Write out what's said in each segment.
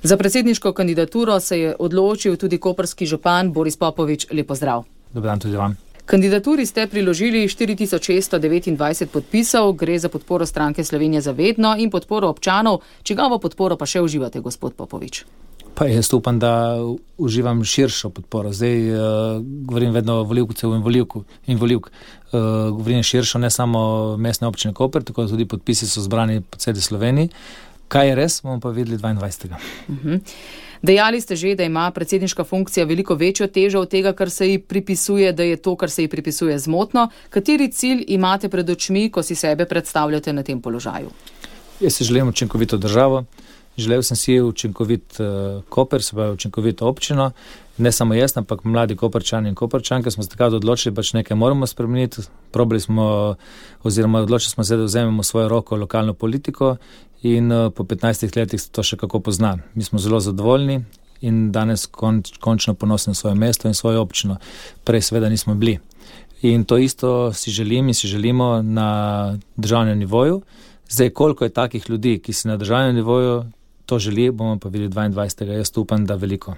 Za predsedniško kandidaturo se je odločil tudi koprski župan Boris Popovič. Lep pozdrav. Dober dan tudi vam. Kandidaturi ste priložili 4629 podpisov, gre za podporo stranke Slovenija za vedno in podporo občanov. Čigavo podporo pa še uživate, gospod Popovič? Pa jaz upam, da uživam širšo podporo. Zdaj govorim vedno o volivcev in volivk. Govorim širšo, ne samo mestne občine Koper, tako da tudi podpisi so zbrani po celi Sloveniji. Kaj je res, bomo pa videli 22. Dejali ste že, da ima predsedniška funkcija veliko večjo težo od tega, kar se ji pripisuje, da je to, kar se ji pripisuje, zmotno. Kateri cilj imate pred očmi, ko si sebe predstavljate na tem položaju? Jaz si želim učinkovito državo. Želel sem si učinkovit Koper, se pravi učinkovito občino, ne samo jaz, ampak mladi Koperčani in Koperčanke smo se takrat odločili, pač nekaj moramo spremeniti. Odločili smo se, da vzememo svojo roko lokalno politiko in po 15 letih to še kako pozna. Mi smo zelo zadovoljni in danes končno ponosni na svoje mesto in svojo občino. Prej seveda nismo bili. In to isto si želimo na državnem nivoju. Zdaj, koliko je takih ljudi, ki si na državnem nivoju to želi, bomo pa videli 22. Jaz upam, da veliko.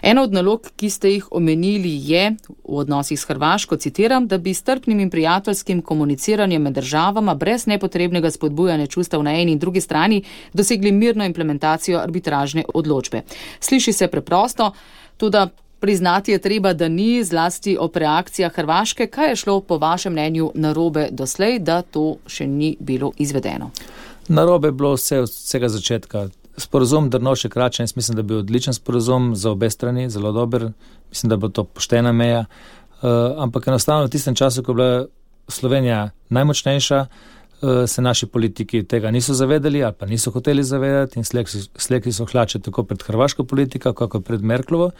Ena od nalog, ki ste jih omenili, je v odnosih s Hrvaško, citiram, da bi s strpnim in prijateljskim komuniciranjem med državama brez nepotrebnega spodbujanja čustev na eni in drugi strani dosegli mirno implementacijo arbitražne odločbe. Sliši se preprosto, toda priznati je treba, da ni, zlasti ob reakcijah Hrvaške. Kaj je šlo po vašem mnenju narobe doslej, da to še ni bilo izvedeno? Narobe je bilo vse od vsega začetka. Sporazum Drnovšek-Račan, jaz mislim, da je bil odličen sporazum za obe strani, zelo dober. Mislim, da bo to poštena meja. Ampak enostavno v tistem času, ko je bila Slovenija najmočnejša, se naši politiki tega niso zavedali ali pa niso hoteli zavedati in slekli so hlače tako pred hrvaško politiko, kako pred Merklovo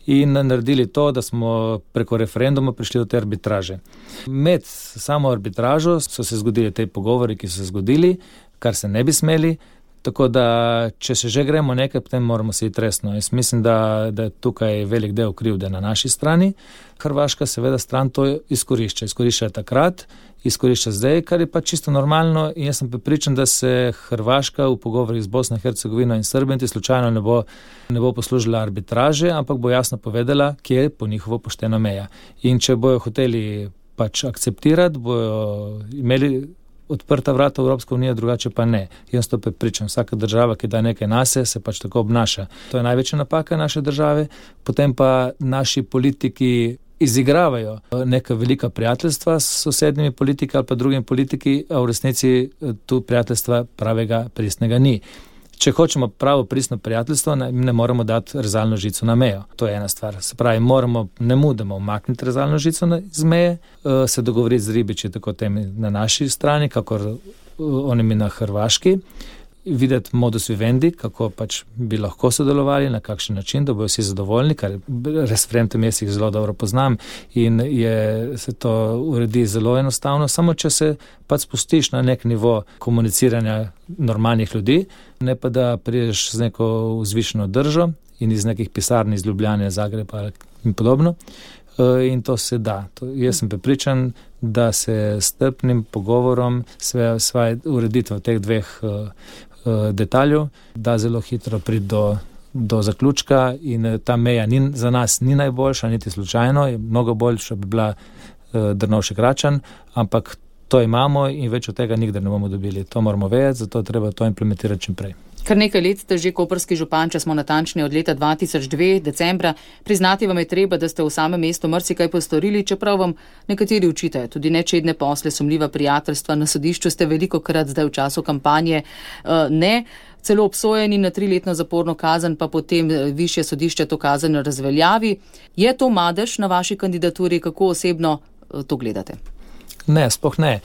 in naredili to, da smo preko referenduma prišli do te arbitraže. Med samo arbitražo so se zgodili te pogovori, ki so se zgodili, kar se ne bi smeli, tako da če se že gremo nekaj, potem moramo se iti resno. Jaz mislim, da je tukaj velik del krivde na naši strani. Hrvaška seveda stran to izkorišča. Izkorišča takrat, izkorišča zdaj, kar je pa čisto normalno in jaz sem prepričan, da se Hrvaška v pogovorih z Bosno in Hercegovino in Srbijo slučajno ne bo poslužila arbitraže, ampak bo jasno povedala, kje je po njihovo poštena meja. In če bojo hoteli pač akceptirati, bojo imeli odprta vrata v Evropsko unijo, drugače pa ne. Jaz to prepričam. Vsaka država, ki da nekaj nase, se pač tako obnaša. To je največja napaka naše države. Potem pa naši politiki izigravajo neka velika prijateljstva s sosednjimi politiki ali pa drugimi politiki, a v resnici tu prijateljstva pravega pristnega ni. Če hočemo pravo pristno prijateljstvo, ne moramo dati rezalno žico na mejo. To je ena stvar. Se pravi, moramo nemudoma umakniti rezalno žico z meje, se dogovoriti z ribiči, tako temi na naši strani, kakor onimi na Hrvaški, videti modus vivendi, kako pač bi lahko sodelovali, na kakšen način, da bojo vsi zadovoljni, kar referendum jaz jih zelo dobro poznam in se to uredi zelo enostavno, samo če se pač spustiš na nek nivo komuniciranja normalnih ljudi, ne pa da prideš z neko vzvišeno držo in iz nekih pisarn iz Ljubljane, Zagreba in podobno. In to se da. Jaz sem prepričan, da se s strpnim pogovorom svoje ureditve teh dveh detaljev da zelo hitro priti do zaključka in ta meja za nas ni najboljša, niti slučajno, je mnogo boljša bi bila Drnovšek-Račan, ampak to imamo in več od tega nikdar ne bomo dobili. To moramo vedeti, zato treba to implementirati čim prej. Kar nekaj let ste že koprski župan, če smo natančni od leta 2002, decembra. Priznati vam je treba, da ste v samem mestu marsikaj postorili, čeprav vam nekateri učitajo. Tudi nečedne posle, sumljiva prijateljstva, na sodišču ste velikokrat zdaj v času kampanje celo obsojeni na 3-letno zaporno kazen, pa potem višje sodišče to kazen razveljavi. Je to madež na vaši kandidaturi? Kako osebno to gledate? Ne, sploh ne.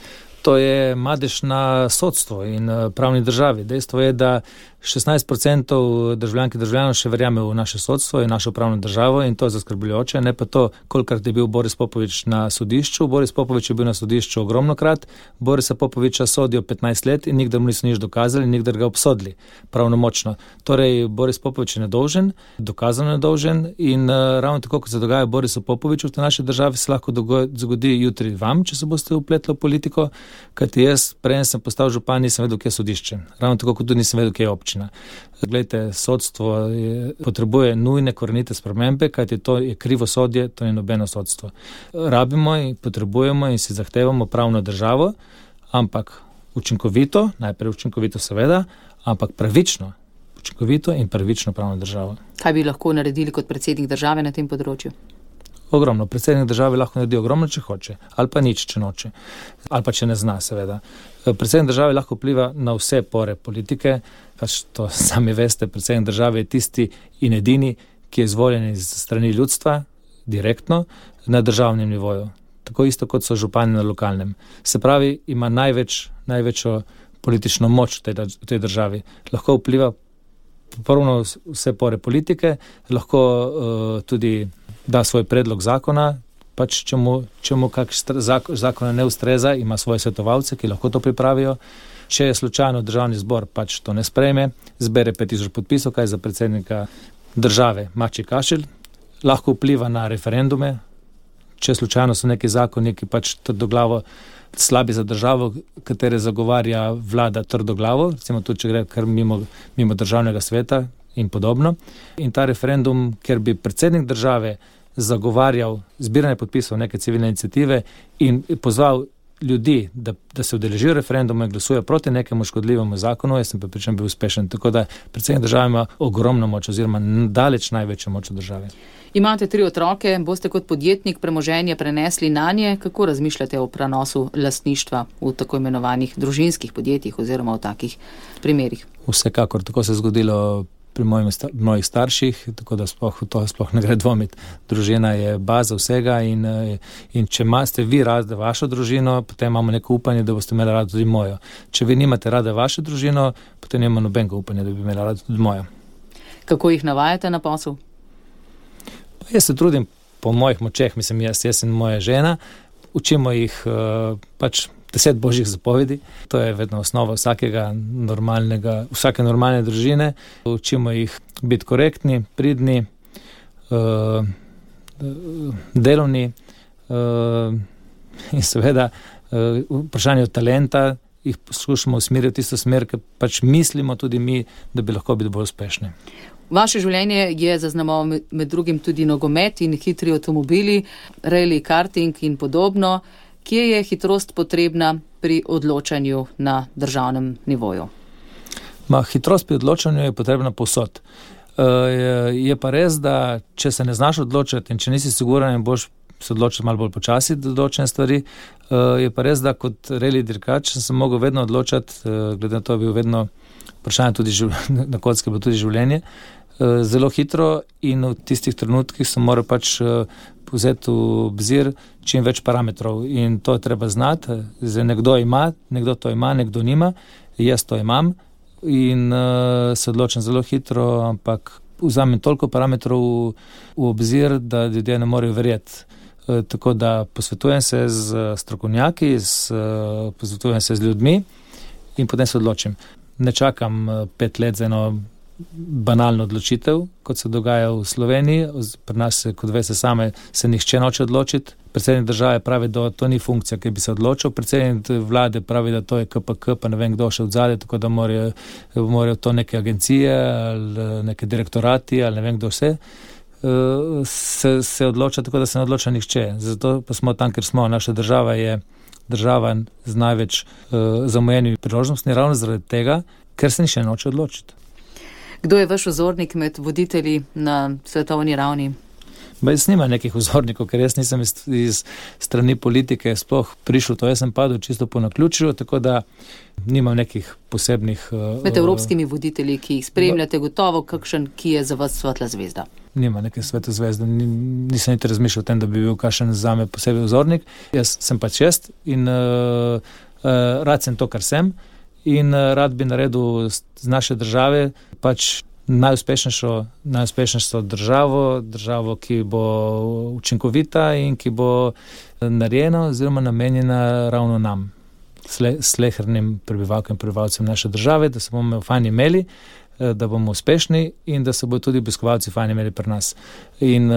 To je madež na sodstvo in pravni državi. Dejstvo je, da 16% državljank in državljanov še verjame v naše sodstvo in našo pravno državo in to je zaskrbljujoče. Ne pa to, kolikrat je bil Boris Popovič na sodišču. Boris Popovič je bil na sodišču ogromnokrat. Borisa Popoviča sodijo 15 let in nikdar mu niso nič dokazali, nikdar ga obsodili pravnomočno. Torej, Boris Popovič je nedolžen, dokazano nedolžen in ravno tako, kot se dogaja Borisu Popoviču v tej naši državi, se lahko zgodi jutri vam, če se boste vpletli v politiko, kajti jaz, preden sem postal župan, nisem vedel, kje je sodišče. Ravno tako, kot tudi nisem vedel, kje je občina. pravična. Glejte, sodstvo potrebuje nujne korenite spremembe, kajti to je krivosodje, to ni nobeno sodstvo. Rabimo in potrebujemo in si zahtevamo pravno državo, ampak učinkovito, najprej učinkovito seveda, ampak pravično, učinkovito in pravično pravno državo. Kaj bi lahko naredili kot predsednik države na tem področju? Ogromno. Predsednik države lahko naredi ogromno, če hoče, ali pa nič, če noče, ali pa če ne zna, seveda. Predsednik države lahko vpliva na vse pore politike, pač to sami veste, predsednik države je tisti in edini, ki je izvoljen iz strani ljudstva, direktno, na državnem nivoju. Tako isto, kot so župani na lokalnem. Se pravi, ima največjo politično moč v tej državi. Lahko vpliva popravno vse pore politike, lahko tudi da svoj predlog zakona, pač če mu kak zakona ne ustreza, ima svoje svetovalce, ki lahko to pripravijo. Če je slučajno državni zbor pač to ne sprejme, zbere 5000 podpisov, kaj za predsednika države mači kašelj, lahko vpliva na referendume, če slučajno so neki zakoni, ki pač trdoglavo slabi za državo, katere zagovarja vlada trdoglavo, recimo tudi, če gre kar mimo državnega sveta in podobno. In ta referendum, ker bi predsednik države zagovarjal zbiranje podpisov neke civilne iniciative in pozval ljudi, da se udeležijo referenduma in glasujejo proti nekemu škodljivemu zakonu, jaz sem prepričan bil uspešen. Tako da predsednik države ima ogromno moč oziroma daleč največjo moč v državi. Imate 3 otroke, boste kot podjetnik premoženje prenesli nanje. Kako razmišljate o prenosu lastništva v tako imenovanih družinskih podjetjih oziroma v takih primerih? Vsekakor, tako se je zgodilo pri mojih starših, tako da sploh ne gre dvomiti. Družina je baza vsega in če ste vi radi vašo družino, potem imamo neko upanje, da boste imeli radi tudi mojo. Če vi nimate radi vašo družino, potem nima nobenega upanja, da bi imeli radi tudi mojo. Kako jih navajate na posel? Jaz se trudim po mojih močeh, mislim jaz in moja žena, učimo jih pač 10 božjih zapovedi. To je vedno osnova vsake normalne družine. Učimo jih biti korektni, pridni, delovni in seveda vprašanje talenta jih poskušamo usmeriti v tisto smer, ker pač mislimo tudi mi, da bi lahko bili bolj uspešni. Vaše življenje je zaznamoval med drugim tudi nogomet in hitri avtomobili, rally, karting in podobno. Kje je hitrost potrebna pri odločanju na državnem nivoju? Hitrost pri odločanju je potrebna povsod. Je pa res, da če se ne znaš odločiti in če nisi siguran in boš se odločiti malo bolj počasi do določene stvari, je pa res, da kot rally dirkač sem se mogel vedno odločati, glede na to je bil vedno vprašanje tudi na kocki, bilo tudi življenje, zelo hitro in v tistih trenutkih sem moral pač vzeti v obzir čim več parametrov in to je treba znati. Zdaj nekdo to ima, nekdo nima, jaz to imam in se odločim zelo hitro, ampak vzamem toliko parametrov v obzir, da ljudje ne morejo verjeti. Tako da posvetujem se z strokovnjaki, posvetujem se z ljudmi in potem se odločim. Ne čakam 5 let za eno banalno odločitev, kot se dogaja v Sloveniji. Pri nas, kot veste same, se nihče noče odločiti. Predsednik države pravi, da to ni funkcija, ki bi se odločil. Predsednik vlade pravi, da to je KPK, pa ne vem, kdo še odzadje, tako da morajo to neke agencije ali neke direktorati ali ne vem, kdo vse se odloča, tako da se ne odloča nihče. Zato pa smo tam, ker smo. Naša država je država z največ zamujenimi priložnostmi, ravno zaradi tega, ker se nihče noče odločiti. Kdo je vaš vzornik med voditelji na svetovni ravni? Jaz nimam nekih vzornikov, ker jaz nisem iz strani politike sploh prišel to. Jaz sem padel čisto po naključju, tako da nimam nekih posebnih... Med evropskimi voditelji, ki jih spremljate, gotovo kakšen, ki je za vas svetla zvezda? Nima neke svetle zvezde. Nisem niti razmišljal o tem, da bi bil kakšen zame posebej vzornik. Jaz sem pač in rad sem to, kar sem. In rad bi naredil z naše države pač najuspešnejšo državo, ki bo učinkovita in ki bo narejena oziroma namenjena ravno nam, slehernim prebivalkam in prebivalcem naše države, da se bomo fajn imeli, da bomo uspešni in da se bodo tudi obiskovalci fajn imeli pri nas. In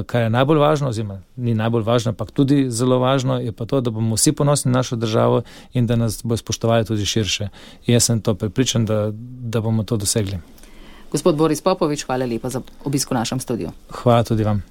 kar je najbolj važno, oziroma ni najbolj važno, ampak tudi zelo važno, je pa to, da bomo vsi ponosni na našo državo in da nas bo spoštovali tudi širše. In jaz sem to prepričan, da bomo to dosegli. Gospod Boris Popovič, hvala lepa za obisk v našem studiu. Hvala tudi vam.